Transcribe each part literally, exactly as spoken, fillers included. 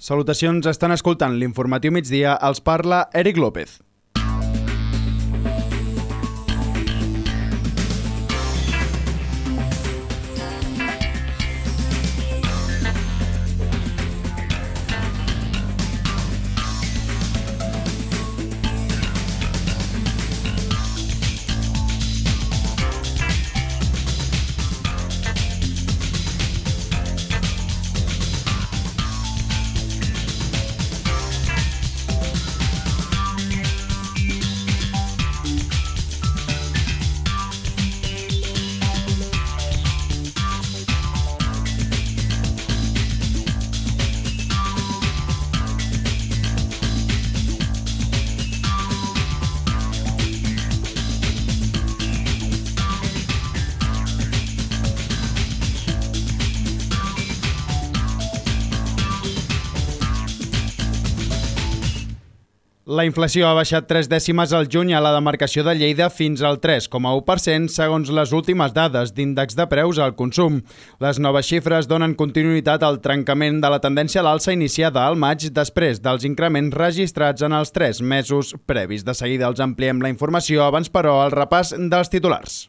Salutacions, estan escoltant l'informatiu migdia, els parla Eric López. La inflació ha baixat tres dècimes al juny a la demarcació de Lleida fins al tres coma u per cent segons les últimes dades d'índex de preus al consum. Les noves xifres donen continuïtat al trencament de la tendència a l'alça iniciada al maig després dels increments registrats en els tres mesos previs. De seguida els ampliem la informació, abans però el repàs dels titulars.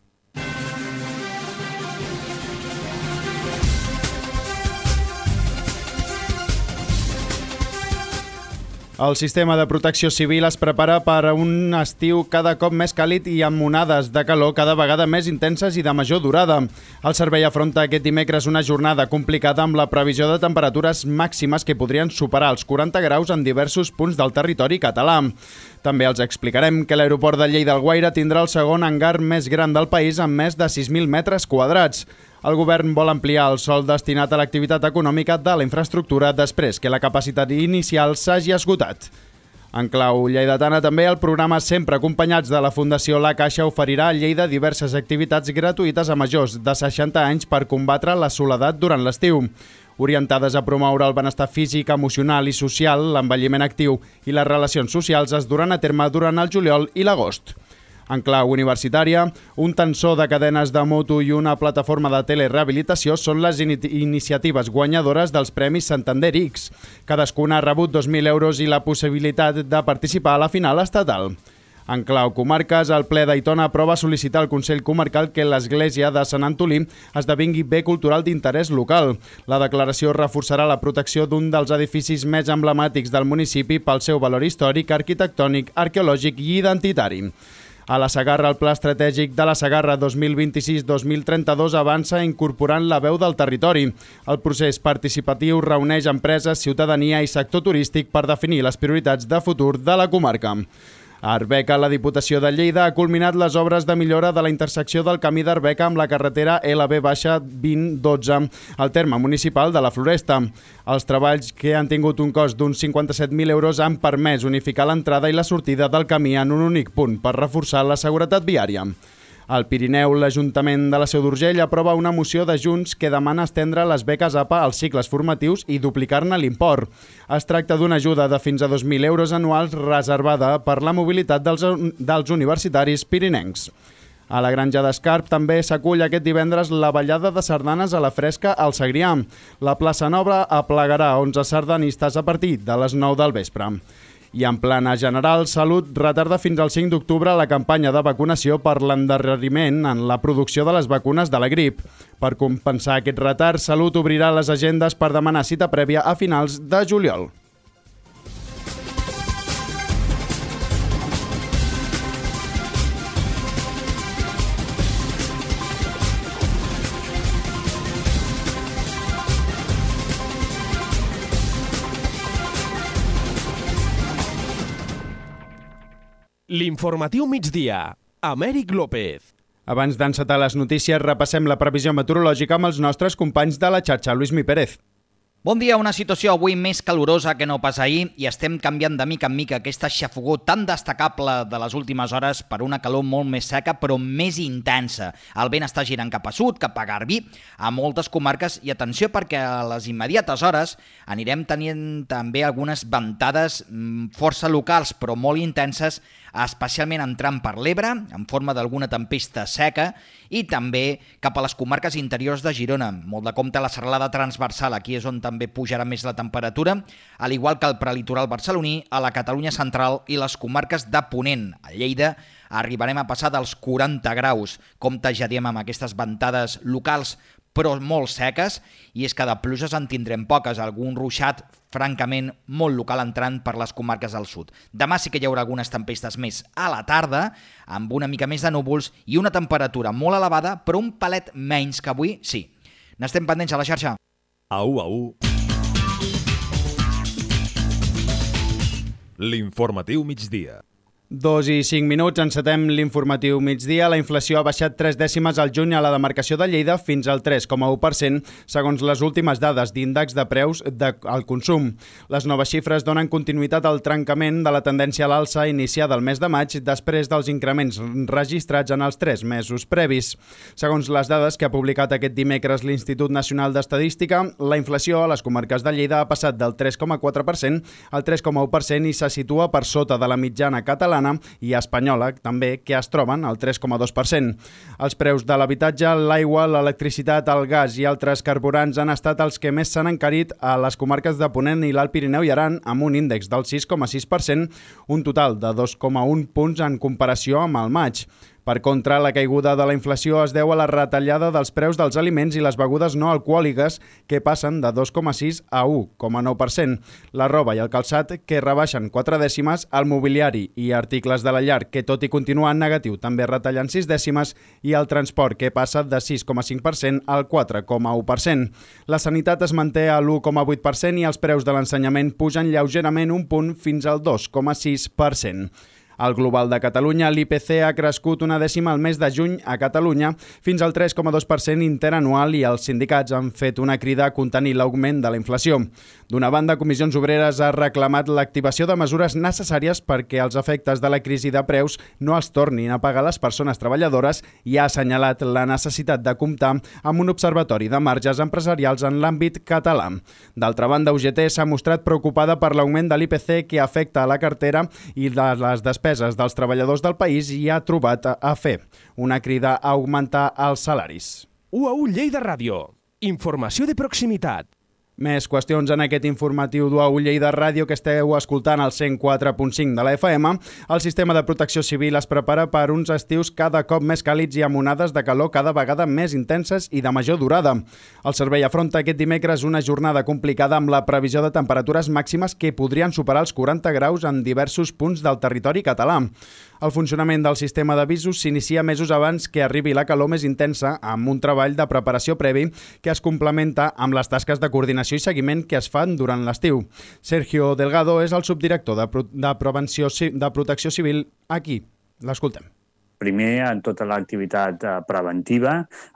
El sistema de protecció civil es prepara per a un estiu cada cop més càlid i amb onades de calor cada vegada més intenses i de major durada. El servei afronta aquest dimecres una jornada complicada amb la previsió de temperatures màximes que podrien superar els quaranta graus en diversos punts del territori català. També els explicarem que l'aeroport de Lleida-Alguaire tindrà el segon hangar més gran del país amb més de sis mil metres quadrats. El govern vol ampliar el sòl destinat a l'activitat econòmica de la infraestructura després que la capacitat inicial s'hagi esgotat. En clau lleidatana també el programa Sempre Acompanyats de la Fundació La Caixa oferirà a Lleida diverses activitats gratuïtes a majors de seixanta anys per combatre la soledat durant l'estiu. Orientades a promoure el benestar físic, emocional i social, l'envelliment actiu i les relacions socials es duran a terme durant el juliol i l'agost. En clau universitària, un tensor de cadenes de moto i una plataforma de telerehabilitació són les in iniciatives guanyadores dels Premis Santander X. Cadascuna ha rebut dos mil euros i la possibilitat de participar a la final estatal. En clau comarques, el ple d'Aitona aprova sol·licitar al Consell Comarcal que l'església de Sant Antolí esdevingui bé cultural d'interès local. La declaració reforçarà la protecció d'un dels edificis més emblemàtics del municipi pel seu valor històric, arquitectònic, arqueològic i identitari. A la Segarra, el Pla Estratègic de la Segarra dos mil vint-i-sis dos mil trenta-dos avança incorporant la veu del territori. El procés participatiu reuneix empreses, ciutadania i sector turístic per definir les prioritats de futur de la comarca. A Arbeca, la Diputació de Lleida ha culminat les obres de millora de la intersecció del camí d'Arbeca amb la carretera L B vint dotze al terme municipal de la Floresta. Els treballs, que han tingut un cost d'uns cinquanta-set mil euros, han permès unificar l'entrada i la sortida del camí en un únic punt per reforçar la seguretat viària. Al Pirineu, l'Ajuntament de la Seu d'Urgell aprova una moció de Junts que demana estendre les beques A P A als cicles formatius i duplicar-ne l'import. Es tracta d'una ajuda de fins a dos mil euros anuals reservada per la mobilitat dels, dels universitaris pirinencs. A la Granja d'Escarp també s'acull aquest divendres la ballada de sardanes a la fresca al Segrià. La plaça Nova aplegarà onze sardanistes a partir de les nou del vespre. I en plana general, Salut retarda fins al cinc d'octubre la campanya de vacunació per l'endarreriment en la producció de les vacunes de la grip. Per compensar aquest retard, Salut obrirà les agendes per demanar cita prèvia a finals de juliol. L'informatiu migdia, amb Eric López. Abans d'encetar les notícies, repassem la previsió meteorològica amb els nostres companys de la xarxa. Luismi Pérez. Bon dia, una situació avui més calorosa que no pas ahir i estem canviant de mica en mica aquesta xafogor tan destacable de les últimes hores per una calor molt més seca però més intensa. El vent està girant cap a sud, cap a Garbí, a moltes comarques i atenció perquè a les immediates hores anirem tenint també algunes ventades força locals però molt intenses, especialment entrant per l'Ebre, en forma d'alguna tempesta seca, i també cap a les comarques interiors de Girona. Molt de compte la serralada transversal, aquí és on també també pujarà més la temperatura, al igual que el prelitoral barceloní, a la Catalunya central i les comarques de Ponent. A Lleida arribarem a passar dels quaranta graus, compte ja diem amb aquestes ventades locals, però molt seques, i és que de pluges en tindrem poques, algun ruixat francament molt local entrant per les comarques del sud. Demà sí que hi haurà algunes tempestes més a la tarda, amb una mica més de núvols i una temperatura molt elevada, però un palet menys que avui, sí. N'estem pendents a la xarxa. Au, au. L'informatiu migdia. Dos i cinc minuts, encetem l'informatiu migdia. La inflació ha baixat tres dècimes al juny a la demarcació de Lleida fins al tres coma u per cent, segons les últimes dades d'índex de preus de, al consum. Les noves xifres donen continuïtat al trencament de la tendència a l'alça iniciada el mes de maig després dels increments registrats en els tres mesos previs. Segons les dades que ha publicat aquest dimecres l'Institut Nacional d'Estadística, la inflació a les comarques de Lleida ha passat del tres coma quatre per cent al tres coma u per cent i se situa per sota de la mitjana catalana i espanyola, també, que es troben al tres coma dos per cent. Els preus de l'habitatge, l'aigua, l'electricitat, el gas i altres carburants han estat els que més s'han encarit a les comarques de Ponent i l'Alt Pirineu i Aran, amb un índex del sis coma sis per cent, un total de dos coma u punts en comparació amb el maig. Per contra, la caiguda de la inflació es deu a la retallada dels preus dels aliments i les begudes no alcohòliques, que passen de dos coma sis a u coma nou per cent. La roba i el calçat, que rebaixen quatre dècimes, el mobiliari i articles de la llar, que tot i continuar en negatiu també retallen sis dècimes, i el transport, que passa de sis coma cinc per cent al quatre coma u per cent. La sanitat es manté a l'u coma vuit per cent i els preus de l'ensenyament pugen lleugerament un punt fins al dos coma sis per cent. Al global de Catalunya, l'I P C ha crescut una dècima al mes de juny a Catalunya fins al tres coma dos per cent interanual i els sindicats han fet una crida a contenir l'augment de la inflació. D'una banda, Comissions Obreres ha reclamat l'activació de mesures necessàries perquè els efectes de la crisi de preus no els tornin a pagar les persones treballadores i ha assenyalat la necessitat de comptar amb un observatori de marges empresarials en l'àmbit català. D'altra banda, U G T s'ha mostrat preocupada per l'augment de l'I P C que afecta a la cartera i de les despeses dels treballadors del país i ha trobat a fer una crida a augmentar els salaris. U a U Lleida Ràdio. Informació de proximitat. Més qüestions en aquest informatiu d'U A U Lleida Ràdio que esteu escoltant al cent quatre punt cinc de la F M. El sistema de protecció civil es prepara per uns estius cada cop més càlids i amb onades de calor cada vegada més intenses i de major durada. El servei afronta aquest dimecres una jornada complicada amb la previsió de temperatures màximes que podrien superar els quaranta graus en diversos punts del territori català. El funcionament del sistema d'avisos s'inicia mesos abans que arribi la calor més intensa amb un treball de preparació previ que es complementa amb les tasques de coordinació i seguiment que es fan durant l'estiu. Sergio Delgado és el subdirector de, Pro de Prevenció de Protecció Civil aquí. L'escoltem. Primer, en tota l'activitat preventiva,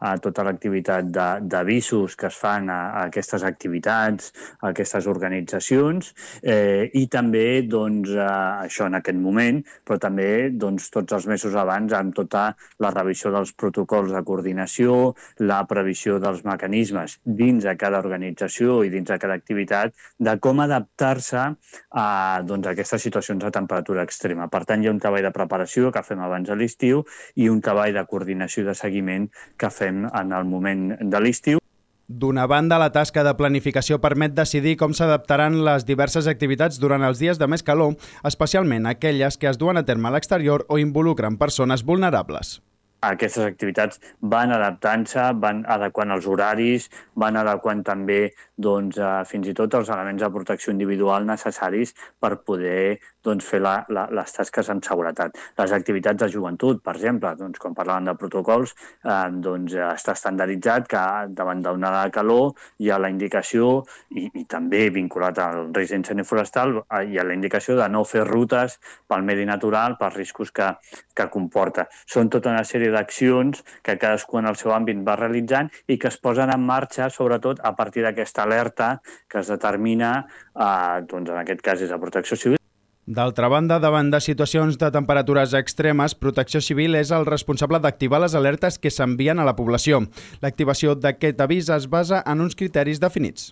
a tota l'activitat d'avisos que es fan a aquestes activitats, a aquestes organitzacions, eh, i també, doncs, això en aquest moment, però també doncs, tots els mesos abans amb tota la revisió dels protocols de coordinació, la previsió dels mecanismes dins de cada organització i dins de cada activitat, de com adaptar-se a, doncs, a aquestes situacions de temperatura extrema. Per tant, hi ha un treball de preparació que fem abans de l'estiu i un treball de coordinació i de seguiment que fem en el moment de l'estiu. D'una banda, la tasca de planificació permet decidir com s'adaptaran les diverses activitats durant els dies de més calor, especialment aquelles que es duen a terme a l'exterior o involucren persones vulnerables. Aquestes activitats van adaptant-se, van adequant els horaris, van adequant també doncs, fins i tot els elements de protecció individual necessaris per poder doncs, fer la, la, les tasques amb seguretat. Les activitats de joventut, per exemple, doncs, quan parlàvem de protocols, eh, doncs, està estandarditzat que davant d'una onada de calor hi ha la indicació, i, i també vinculat al risc d'incendi forestal, hi ha la indicació de no fer rutes pel medi natural, pels riscos que, que comporta. Són tota una sèrie d'accions que cadascú en el seu àmbit va realitzant i que es posen en marxa, sobretot, a partir d'aquesta alerta que es determina, eh, doncs, en aquest cas és a Protecció Civil. D'altra banda, davant de situacions de temperatures extremes, Protecció Civil és el responsable d'activar les alertes que s'envien a la població. L'activació d'aquest avís es basa en uns criteris definits.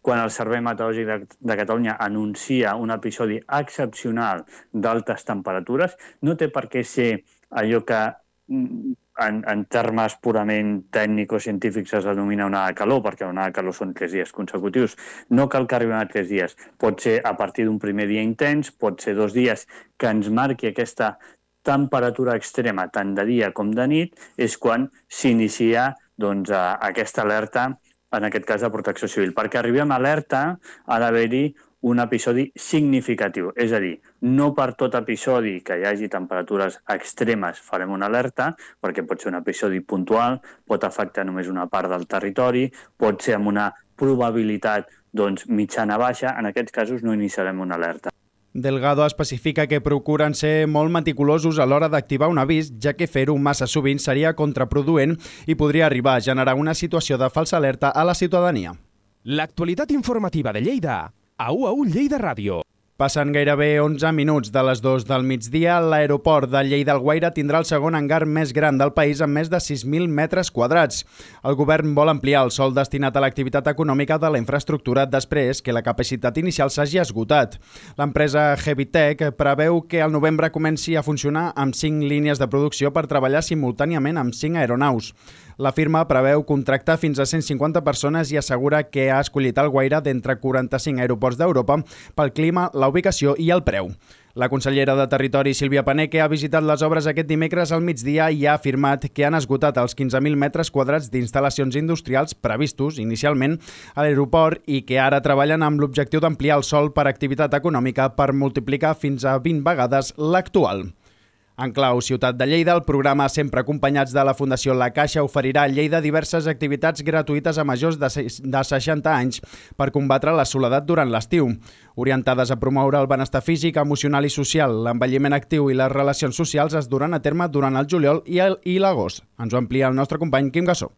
Quan el Servei Meteorològic de, de Catalunya anuncia un episodi excepcional d'altes temperatures, no té per què ser allò que en, en termes purament tècnico-científics es denomina onada de calor, perquè onada de calor són tres dies consecutius. No cal que arribem a tres dies. Pot ser a partir d'un primer dia intens, pot ser dos dies que ens marqui aquesta temperatura extrema, tant de dia com de nit, és quan s'inicia doncs, aquesta alerta, en aquest cas de protecció civil. Perquè arribem a alerta ha d'haver-hi un episodi significatiu. És a dir, no per tot episodi que hi hagi temperatures extremes farem una alerta, perquè pot ser un episodi puntual, pot afectar només una part del territori, pot ser amb una probabilitat doncs, mitjana-baixa. En aquests casos no iniciarem una alerta. Delgado especifica que procuren ser molt meticulosos a l'hora d'activar un avís, ja que fer-ho massa sovint seria contraproduent i podria arribar a generar una situació de falsa alerta a la ciutadania. L'actualitat informativa de Lleida, a u a u Lleida Ràdio. Passen gairebé onze minuts de les dues del migdia. L'aeroport de Lleida-Alguaire tindrà el segon hangar més gran del país amb més de sis mil metres quadrats. El govern vol ampliar el sòl destinat a l'activitat econòmica de la infraestructura després que la capacitat inicial s'hagi esgotat. L'empresa Heavitech preveu que al novembre comenci a funcionar amb cinc línies de producció per treballar simultàniament amb cinc aeronaus. La firma preveu contractar fins a cent cinquanta persones i assegura que ha escollit Alguaire d'entre quaranta-cinc aeroports d'Europa pel clima, la ubicació i el preu. La consellera de Territori, Sílvia Paneque, ha visitat les obres aquest dimecres al migdia i ha afirmat que han esgotat els quinze mil metres quadrats d'instal·lacions industrials previstos inicialment a l'aeroport i que ara treballen amb l'objectiu d'ampliar el sòl per activitat econòmica per multiplicar fins a vint vegades l'actual. En clau Ciutat de Lleida, el programa Sempre Acompanyats de la Fundació La Caixa oferirà a Lleida diverses activitats gratuïtes a majors de seixanta anys per combatre la soledat durant l'estiu, orientades a promoure el benestar físic, emocional i social. L'envelliment actiu i les relacions socials es duran a terme durant el juliol i l'agost. Ens ho amplia el nostre company Quim Gassó.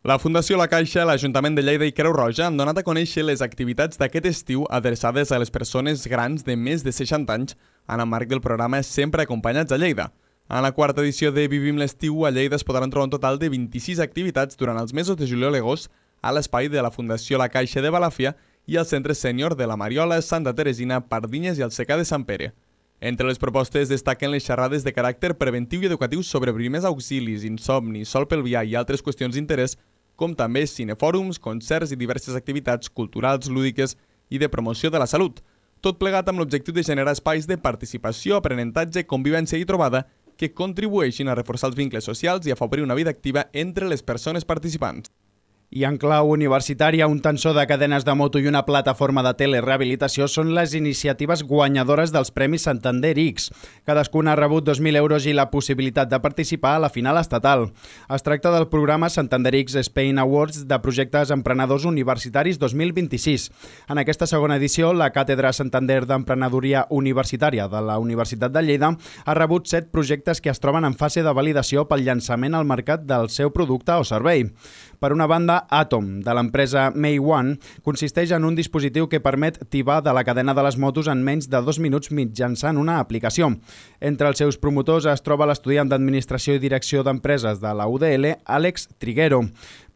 La Fundació La Caixa, l'Ajuntament de Lleida i Creu Roja han donat a conèixer les activitats d'aquest estiu adreçades a les persones grans de més de seixanta anys en el marc del programa Sempre Acompanyats a Lleida. En la quarta edició de Vivim l'estiu, a Lleida es podran trobar un total de vint-i-sis activitats durant els mesos de juliol i agost a l'espai de la Fundació La Caixa de Balàfia i al Centre Sènior de la Mariola, Santa Teresina, Pardinyes i el Secà de Sant Pere. Entre les propostes destaquen les xerrades de caràcter preventiu i educatiu sobre primers auxilis, insomni, sol pelvià i altres qüestions d'interès, com també cinefòrums, concerts i diverses activitats culturals, lúdiques i de promoció de la salut. Tot plegat amb l'objectiu de generar espais de participació, aprenentatge, convivència i trobada que contribueixin a reforçar els vincles socials i a afavorir una vida activa entre les persones participants. I en clau universitària, un tensor de cadenes de moto i una plataforma de telerehabilitació són les iniciatives guanyadores dels Premis Santander X. Cadascuna ha rebut dos mil euros i la possibilitat de participar a la final estatal. Es tracta del programa Santander X Spain Awards de projectes emprenedors universitaris dos mil vint-i-sis. En aquesta segona edició, la Càtedra Santander d'Emprenedoria Universitària de la Universitat de Lleida ha rebut set projectes que es troben en fase de validació pel llançament al mercat del seu producte o servei. Per una banda, Atom, de l'empresa May One, consisteix en un dispositiu que permet tibar de la cadena de les motos en menys de dos minuts mitjançant una aplicació. Entre els seus promotors es troba l'estudiant d'Administració i Direcció d'Empreses de la U D L, Àlex Triguero.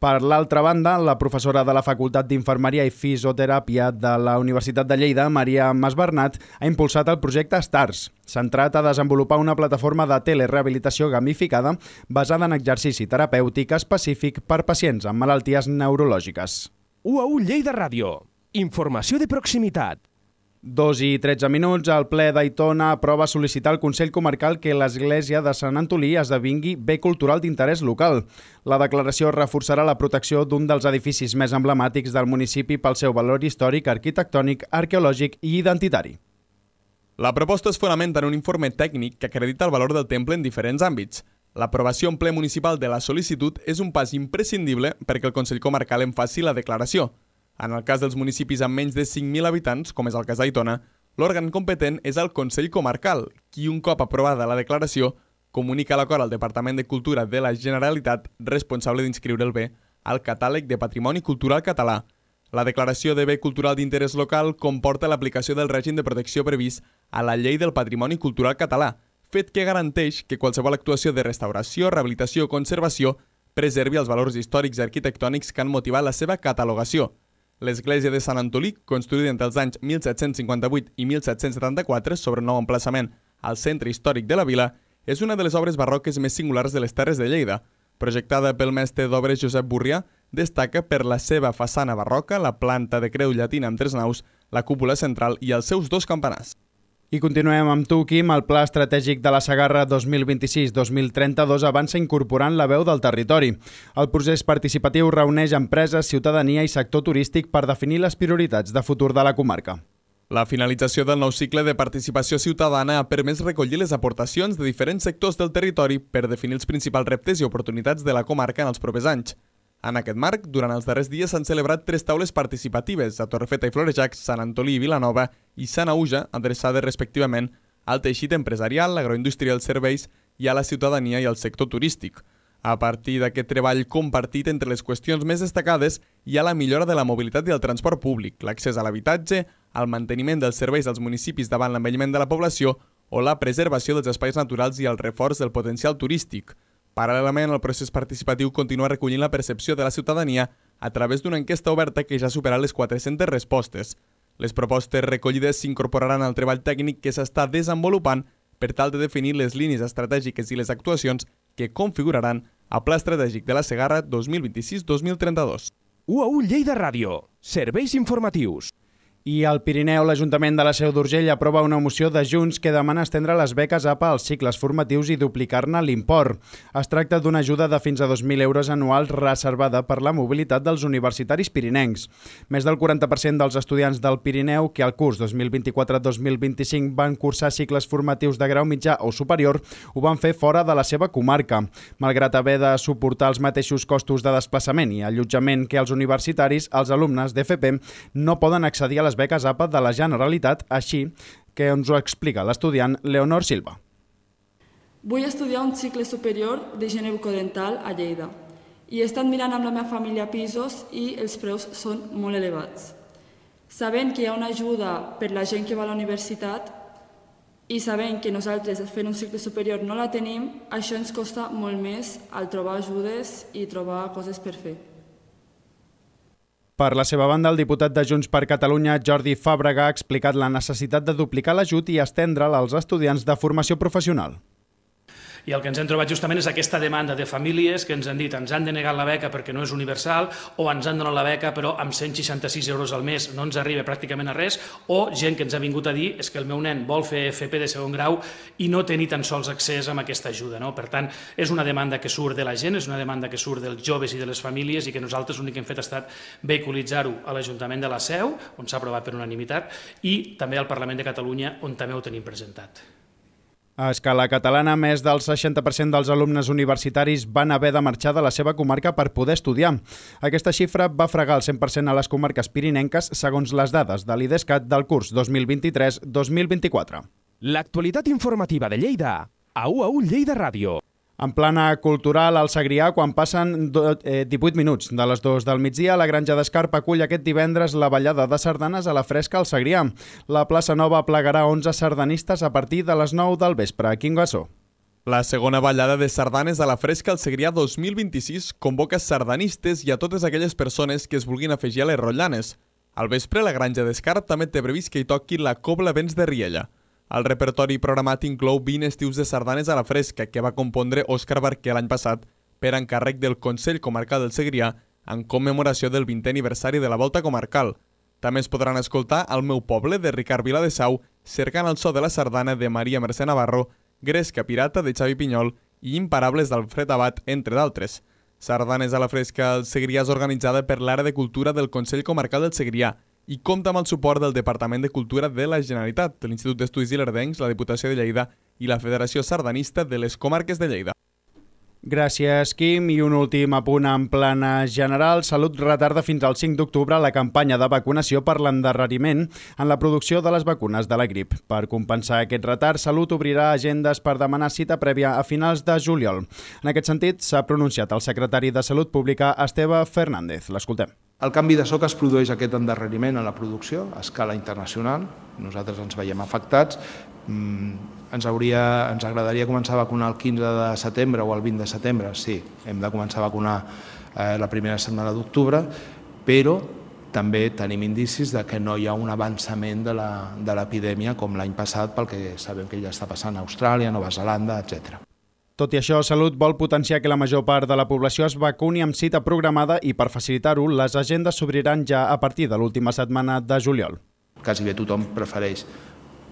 Per l'altra banda, la professora de la Facultat d'Infermeria i Fisioteràpia de la Universitat de Lleida, Maria Masbernat, ha impulsat el projecte STARS, centrat a desenvolupar una plataforma de telerehabilitació gamificada basada en exercici terapèutic específic per pacients amb malalties neurològiques. u a u Lleida Ràdio. Informació de proximitat. Dos i tretze minuts, el ple d'Aitona aprova sol·licitar al Consell Comarcal que l'església de Sant Antolí esdevingui bé cultural d'interès local. La declaració reforçarà la protecció d'un dels edificis més emblemàtics del municipi pel seu valor històric, arquitectònic, arqueològic i identitari. La proposta es fonamenta en un informe tècnic que acredita el valor del temple en diferents àmbits. L'aprovació en ple municipal de la sol·licitud és un pas imprescindible perquè el Consell Comarcal en faci la declaració. En el cas dels municipis amb menys de cinc mil habitants, com és el cas d'Aitona, l'òrgan competent és el Consell Comarcal, qui un cop aprovada la declaració comunica l'acord al Departament de Cultura de la Generalitat responsable d'inscriure el bé al Catàleg de Patrimoni Cultural Català. La declaració de bé cultural d'interès local comporta l'aplicació del règim de protecció previst a la Llei del Patrimoni Cultural Català, fet que garanteix que qualsevol actuació de restauració, rehabilitació o conservació preservi els valors històrics i arquitectònics que han motivat la seva catalogació. L'església de Sant Antolí, construïda entre els anys mil set-cents cinquanta-vuit i mil set-cents setanta-quatre sobre un nou emplaçament al centre històric de la vila, és una de les obres barroques més singulars de les Terres de Lleida. Projectada pel mestre d'obres Josep Burrià, destaca per la seva façana barroca, la planta de creu llatina amb tres naus, la cúpula central i els seus dos campanars. I continuem amb tu, Quim. El Pla Estratègic de la Segarra dos mil vint-i-sis dos mil trenta-dos avança incorporant la veu del territori. El procés participatiu reuneix empreses, ciutadania i sector turístic per definir les prioritats de futur de la comarca. La finalització del nou cicle de participació ciutadana ha permès recollir les aportacions de diferents sectors del territori per definir els principals reptes i oportunitats de la comarca en els propers anys. En aquest marc, durant els darrers dies s'han celebrat tres taules participatives a Torrefeta i Florejacs, Sant Antolí i Vilanova i Sant Auja, adreçades respectivament al teixit empresarial, l'agroindustrial, serveis i a la ciutadania i al sector turístic. A partir d'aquest treball compartit, entre les qüestions més destacades hi ha la millora de la mobilitat i el transport públic, l'accés a l'habitatge, el manteniment dels serveis als municipis davant l'envelliment de la població o la preservació dels espais naturals i el reforç del potencial turístic. Paral·lelament, el procés participatiu continua recollint la percepció de la ciutadania a través d'una enquesta oberta que ja ha superat les quatre-centes respostes. Les propostes recollides s'incorporaran al treball tècnic que s'està desenvolupant per tal de definir les línies estratègiques i les actuacions que configuraran el Pla Estratègic de la Segarra dos mil vint-i-sis dos mil trenta-dos. U A U Lleida Ràdio. Serveis informatius. I al Pirineu, l'Ajuntament de la Seu d'Urgell aprova una moció de Junts que demana estendre les beques A P A als cicles formatius i duplicar-ne l'import. Es tracta d'una ajuda de fins a dos mil euros anuals reservada per la mobilitat dels universitaris pirinencs. Més del quaranta per cent dels estudiants del Pirineu que al curs dos mil vint-i-quatre dos mil vint-i-cinc van cursar cicles formatius de grau mitjà o superior ho van fer fora de la seva comarca. Malgrat haver de suportar els mateixos costos de desplaçament i allotjament que els universitaris, els alumnes d'F P no poden accedir a les beques A P A de la Generalitat, així que ens ho explica l'estudiant Leonor Silva. Vull estudiar un cicle superior d'higiene bucodental a Lleida i he estat mirant amb la meva família pisos i els preus són molt elevats. Sabent que hi ha una ajuda per la gent que va a la universitat i sabent que nosaltres fent un cicle superior no la tenim, això ens costa molt més al trobar ajudes i trobar coses per fer. Per la seva banda, el diputat de Junts per Catalunya, Jordi Fàbrega, ha explicat la necessitat de duplicar l'ajut i estendre'l als estudiants de formació professional. I el que ens hem trobat justament és aquesta demanda de famílies que ens han dit ens han denegat la beca perquè no és universal o ens han donat la beca però amb cent seixanta-sis euros al mes no ens arriba pràcticament a res, o gent que ens ha vingut a dir és que el meu nen vol fer F P de segon grau i no té ni tan sols accés a aquesta ajuda. No? Per tant, és una demanda que surt de la gent, és una demanda que surt dels joves i de les famílies i que nosaltres l'únic que hem fet ha estat vehiculitzar-ho a l'Ajuntament de la Seu, on s'ha aprovat per unanimitat, i també al Parlament de Catalunya, on també ho tenim presentat. A escala catalana, més del seixanta per cent dels alumnes universitaris van haver de marxar de la seva comarca per poder estudiar. Aquesta xifra va fregar el cent per cent a les comarques pirinenques, segons les dades de l'IDESCAT del curs dos mil vint-i-tres dos mil vint-i-quatre. L'actualitat informativa de Lleida, a U A U Lleida Ràdio. En plana cultural, al Segrià, quan passen divuit minuts de les dues del migdia, la Granja d'Escarp acull aquest divendres la ballada de sardanes a la fresca al Segrià. La plaça Nova plegarà onze sardanistes a partir de les nou del vespre. Quim Gassó. La segona ballada de sardanes a la fresca al Segrià dos mil vint-i-sis convoca sardanistes i a totes aquelles persones que es vulguin afegir a les rotllanes. Al vespre, la Granja d'Escarp també té previst que hi toqui la Cobla Vents de Riella. El repertori programat inclou vint estius de sardanes a la fresca que va compondre Òscar Barquer l'any passat per encàrrec del Consell Comarcal del Segrià en commemoració del vintè aniversari de la Volta Comarcal. També es podran escoltar Al meu poble, de Ricard Viladesau, Cercant el so de la sardana, de Maria Mercè Navarro, Gresca pirata, de Xavi Pinyol i Imparables, d'Alfred Abad, entre d'altres. Sardanes a la fresca al Segrià és organitzada per l'Àrea de Cultura del Consell Comarcal del Segrià i compta amb el suport del Departament de Cultura de la Generalitat, de l'Institut d'Estudis Ilerdencs, la Diputació de Lleida i la Federació Sardanista de les Comarques de Lleida. Gràcies, Quim. I un últim apunt en plana general. Salut retarda fins al cinc d'octubre la campanya de vacunació per l'endarreriment en la producció de les vacunes de la grip. Per compensar aquest retard, Salut obrirà agendes per demanar cita prèvia a finals de juliol. En aquest sentit, s'ha pronunciat el secretari de Salut Pública, Esteve Fernández. L'escoltem. El canvi de so que es produeix aquest endarreriment en la producció a escala internacional, nosaltres ens veiem afectats, ens, hauria, ens agradaria començar a vacunar el quinze de setembre o el vint de setembre, sí, hem de començar a vacunar eh, la primera setmana d'octubre, però també tenim indicis de que no hi ha un avançament de la, de l'epidèmia com l'any passat, pel que sabem que ja està passant a Austràlia, Nova Zelanda, etcètera. Tot i això, Salut vol potenciar que la major part de la població es vacuni amb cita programada i per facilitar-ho, les agendes s'obriran ja a partir de l'última setmana de juliol. Quasi bé tothom prefereix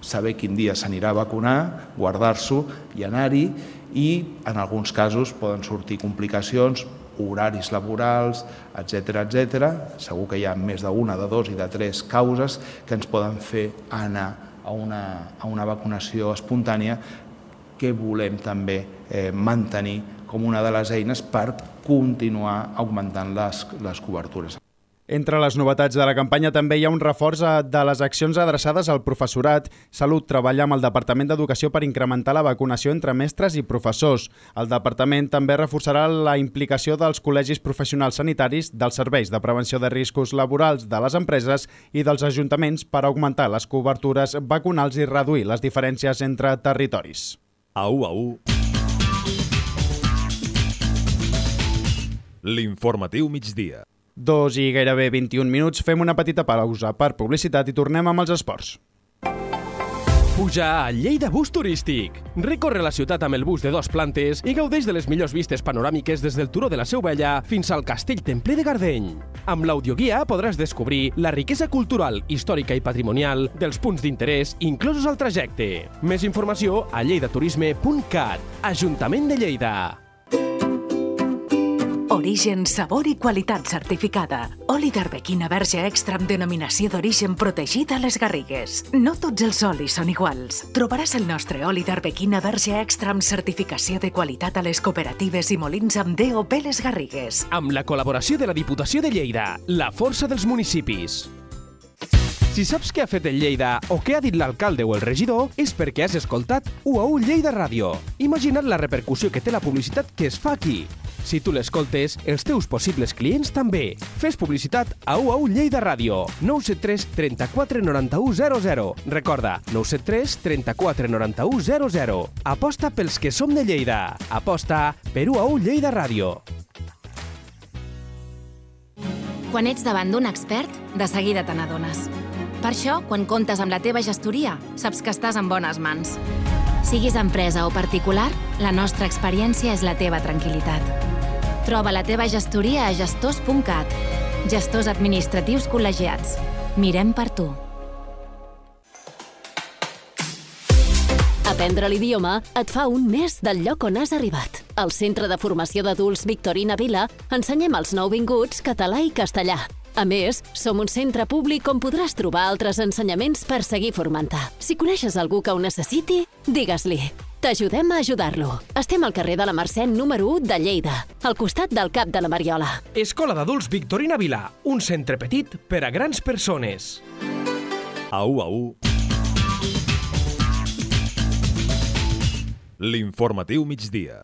saber quin dia s'anirà a vacunar, guardar-s'ho i anar-hi, i en alguns casos poden sortir complicacions, horaris laborals, etcètera, etcètera. Segur que hi ha més d'una, de dos i de tres causes que ens poden fer anar a una, a una vacunació espontània que volem també eh, mantenir com una de les eines per continuar augmentant les, les cobertures. Entre les novetats de la campanya també hi ha un reforç de les accions adreçades al professorat. Salut treballa amb el Departament d'Educació per incrementar la vacunació entre mestres i professors. El departament també reforçarà la implicació dels col·legis professionals sanitaris, dels serveis de prevenció de riscos laborals de les empreses i dels ajuntaments per augmentar les cobertures vacunals i reduir les diferències entre territoris. Au, au. L'informatiu migdia. Dos i gairebé vint-i-un minuts, fem una petita pausa per publicitat i tornem amb els esports. Puja a Lleida Bus Turístic. Recorre la ciutat amb el bus de dos plantes i gaudeix de les millors vistes panoràmiques des del turó de la Seu Vella fins al Castell Templer de Gardeny. Amb l'audioguia podràs descobrir la riquesa cultural, històrica i patrimonial dels punts d'interès inclosos al trajecte. Més informació a lleidaturisme punt cat. Ajuntament de Lleida. Origen, sabor i qualitat certificada. Oli d'Arbequina Verge Extra amb denominació d'origen protegida a les Garrigues. No tots els olis són iguals. Trobaràs el nostre oli d'Arbequina Verge Extra amb certificació de qualitat a les cooperatives i molins amb D O P Les Garrigues. Amb la col·laboració de la Diputació de Lleida, la força dels municipis. Si saps què ha fet el Lleida o què ha dit l'alcalde o el regidor, és perquè has escoltat u a u Lleida Ràdio. Imagina't la repercussió que té la publicitat que es fa aquí. Si tu l'escoltes, els teus possibles clients també. Fes publicitat a u a u Lleida Ràdio. nou set tres trenta-quatre noranta-u zero zero. Recorda, nou set tres trenta-quatre noranta-u zero zero. Aposta pels que som de Lleida. Aposta per u a u Lleida Ràdio. Quan ets davant d'un expert, de seguida te n'adones. Per això, quan comptes amb la teva gestoria, saps que estàs en bones mans. Siguis empresa o particular, la nostra experiència és la teva tranquil·litat. Troba la teva gestoria a gestors punt cat. Gestors administratius col·legiats. Mirem per tu. Aprendre l'idioma et fa un més del lloc on has arribat. Al Centre de Formació d'Adults Victorina Vila ensenyem als nouvinguts català i castellà. A més, som un centre públic on podràs trobar altres ensenyaments per seguir formant-te. Si coneixes algú que ho necessiti, digues-li. T'ajudem a ajudar-lo. Estem al carrer de la Mercè número u de Lleida, al costat del Cap de la Mariola. Escola d'Adults Victorina Vila, un centre petit per a grans persones. Au, au. L'informatiu migdia.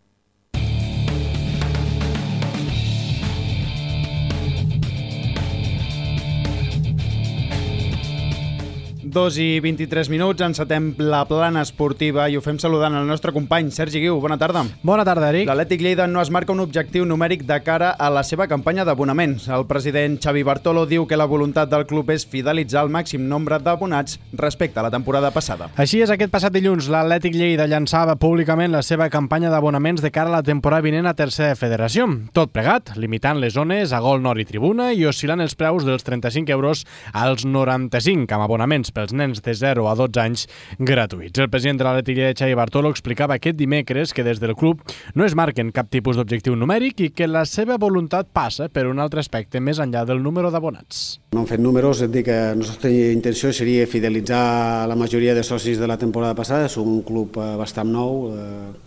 Dos i vint-i-tres minuts, encetem la plana esportiva i ho fem saludant el nostre company Sergi Guiu. Bona tarda. Bona tarda, Eric. L'Atlètic Lleida no es marca un objectiu numèric de cara a la seva campanya d'abonaments. El president Xavi Bartolo diu que la voluntat del club és fidelitzar el màxim nombre d'abonats respecte a la temporada passada. Així és, aquest passat dilluns l'Atlètic Lleida llançava públicament la seva campanya d'abonaments de cara a la temporada vinent a Tercera Federació. Tot plegat, limitant les zones a gol nord i tribuna i oscil·lant els preus dels trenta-cinc euros als noranta-cinc, amb abonaments per els nens de zero a dotze anys gratuïts. El president de l'Atlètic Lleida, Xavi Bartolo, explicava aquest dimecres que des del club no es marquen cap tipus d'objectiu numèric i que la seva voluntat passa per un altre aspecte més enllà del número d'abonats. No hem fet números, et dic que la nostra intenció seria fidelitzar la majoria de socis de la temporada passada. Som un club bastant nou,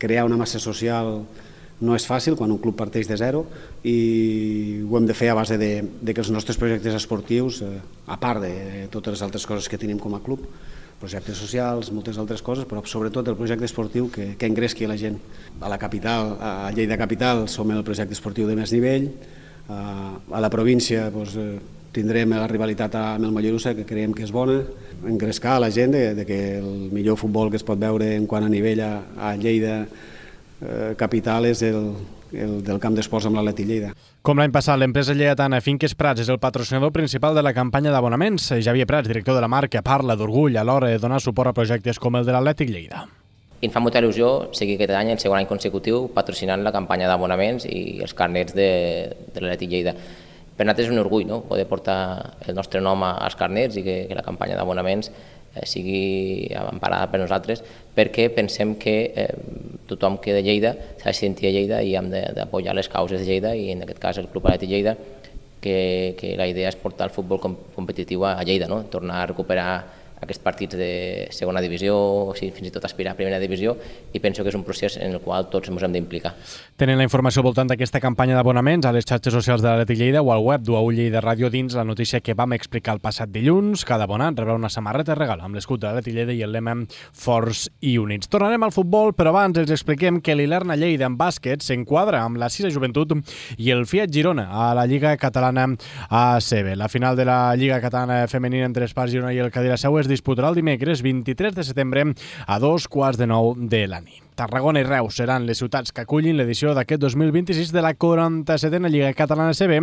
crear una massa social no és fàcil quan un club parteix de zero i ho hem de fer a base de, de que els nostres projectes esportius, eh, a part de totes les altres coses que tenim com a club, projectes socials, moltes altres coses, però sobretot el projecte esportiu que, que engresqui la gent. A la capital, a Lleida Capital, som el projecte esportiu de més nivell, a la província doncs, tindrem la rivalitat amb el Mollerussa, que creiem que és bona, engrescar la gent de, de que el millor futbol que es pot veure en quant a nivell a, a Lleida Eh, capital és el, el del camp d'esports amb l'Atlètic Lleida. Com l'any passat, l'empresa lleidatana Finques Prats és el patrocinador principal de la campanya d'abonaments. Javier Prats, director de la marca, parla d'orgull a l'hora de donar suport a projectes com el de l'Atlètic Lleida. I em fa molta il·lusió seguir aquest any, el segon any consecutiu, patrocinant la campanya d'abonaments i els carnets de, de l'Atlètic Lleida. Per nosaltres és un orgull, no?, poder portar el nostre nom als carnets i que, que la campanya d'abonaments eh, sigui emparada per nosaltres, perquè pensem que eh, tothom que de Lleida s'ha de sentir a Lleida i hem d'apoyar les causes de Lleida, i en aquest cas el Club Atlètic Lleida, que, que la idea és portar el futbol com, competitiu a Lleida, no?, tornar a recuperar aquests partits de segona divisió, o sigui, fins i tot aspirar a primera divisió, i penso que és un procés en el qual tots ens hem d'implicar. Tenen la informació al voltant d'aquesta campanya d'abonaments a les xarxes socials de l'Atlètic Lleida o al web d'U A U Lleida Ràdio dins la notícia que vam explicar el passat dilluns. Cada abonat rebrà una samarreta regal amb l'escut de l'Atlètic Lleida i el lema Forts i Units. Tornarem al futbol, però abans els expliquem que l'Ilerna Lleida en bàsquet s'enquadra amb la Sisa Joventut i el Fiat Girona a la Lliga Catalana A C B. La final de la Lliga Catalana Femenina entre Espars Girona i el Cadira-Seu es disputarà el dimecres vint-i-tres de setembre a dos quarts de nou de la nit. Tarragona i Reus seran les ciutats que acullin l'edició d'aquest dos mil vint-i-sis de la quaranta-setena Lliga Catalana C B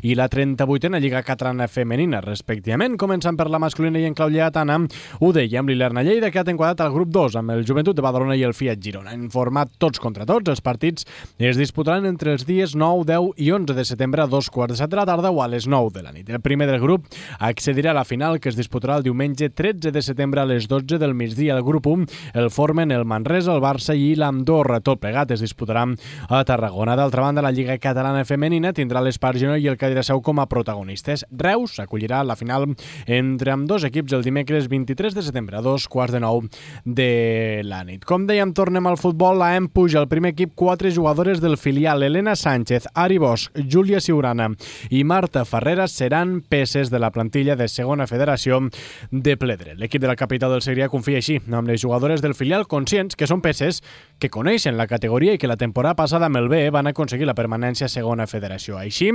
i la trenta-vuitena Lliga Catalana Femenina, respectivament. Començant per la masculina i en clau lleidatana, ho deia amb l'Ilerna Lleida, que ha enquadrat al grup dos amb el Joventut de Badalona i el Fiat Girona. En format tots contra tots, els partits es disputaran entre els dies nou, deu i onze de setembre a dos quarts de set de la tarda o a les nou de la nit. El primer del grup accedirà a la final, que es disputarà el diumenge tretze de setembre a les dotze del migdia. El grup u el formen el Manresa, el Barça i l'Andorra. Tot plegat es disputarà a Tarragona. D'altra banda, la Lliga Catalana Femenina tindrà l'Espars Girona i el Cadira-Seu com a protagonistes. Reus acollirà la final entre ambdós equips el dimecres vint-i-tres de setembre a dos quarts de nou de la nit. Com dèiem, tornem al futbol. La EM puja al primer equip quatre jugadores del filial. Elena Sánchez, Ari Bosch, Júlia Siurana i Marta Ferreras seran peces de la plantilla de segona federació de Pledre. L'equip de la capital del Segrià confia així amb les jugadores del filial, conscients que són peces que coneixen la categoria i que la temporada passada amb el B van aconseguir la permanència a segona federació. Així,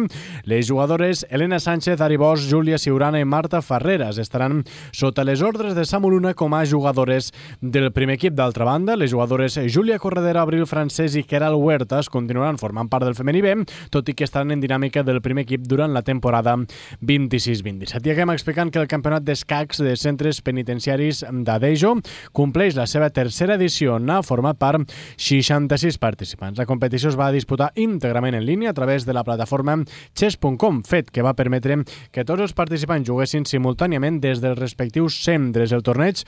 les jugadores Elena Sánchez, Ari Bosch, Júlia Siurana i Marta Ferreras estaran sota les ordres de Samu Luna com a jugadores del primer equip. D'altra banda, les jugadores Júlia Corredera, Abril Francés i Keral Huertas continuaran formant part del femení B, tot i que estaran en dinàmica del primer equip durant la temporada vint-i-sis vint-i-set. I acabem explicant que el campionat d'escacs de centres penitenciaris d'Adejo compleix la seva tercera edició. N'ha format part seixanta-sis participants. La competició es va disputar íntegrament en línia a través de la plataforma chess punt com, fet que va permetre que tots els participants juguessin simultàniament des dels respectius centres. El torneig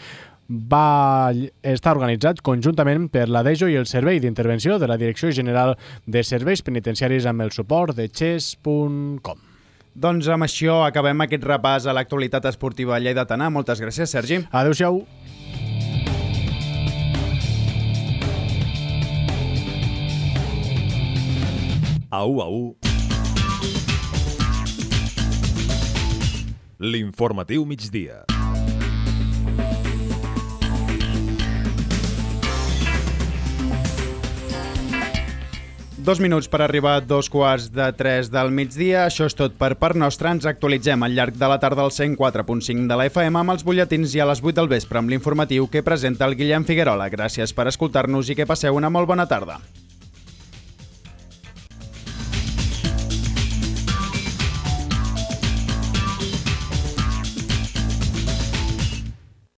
va estar organitzat conjuntament per l'Adejo i el Servei d'Intervenció de la Direcció General de Serveis Penitenciaris amb el suport de chess punt com. Doncs amb això acabem aquest repàs a l'actualitat esportiva lleidatana. Moltes gràcies, Sergi. Adéu-siau. A U A U, l'informatiu migdia. Dos minuts per arribar a dos quarts de tres del migdia. Això és tot per part nostra. Ens actualitzem al llarg de la tarda al cent quatre punt cinc de la F M amb els butlletins i a les vuit del vespre amb l'informatiu que presenta el Guillem Figuerola. Gràcies per escoltar-nos i que passeu una molt bona tarda.